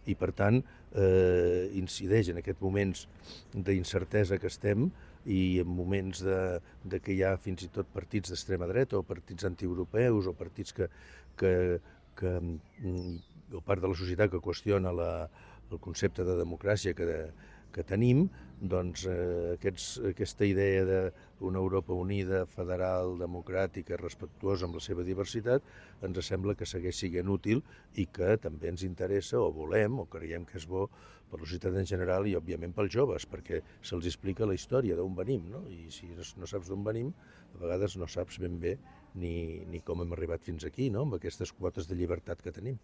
i per tant incideix en aquests moments d'incertesa que estem i en moments de que hi ha fins i tot partits d'extrema dreta o partits antieuropeus o partits o part de la societat que qüestiona el concepte de democràcia que tenim, doncs aquesta idea d'una Europa unida, federal, democràtica, respectuosa amb la seva diversitat, ens sembla que segueix sent útil i que també ens interessa o volem o creiem que és bo per la societat en general i òbviament pels joves, perquè se'ls explica la història d'on venim, no? I si no saps d'on venim, a vegades no saps ben bé ni com hem arribat fins aquí, no? Amb aquestes quotes de llibertat que tenim.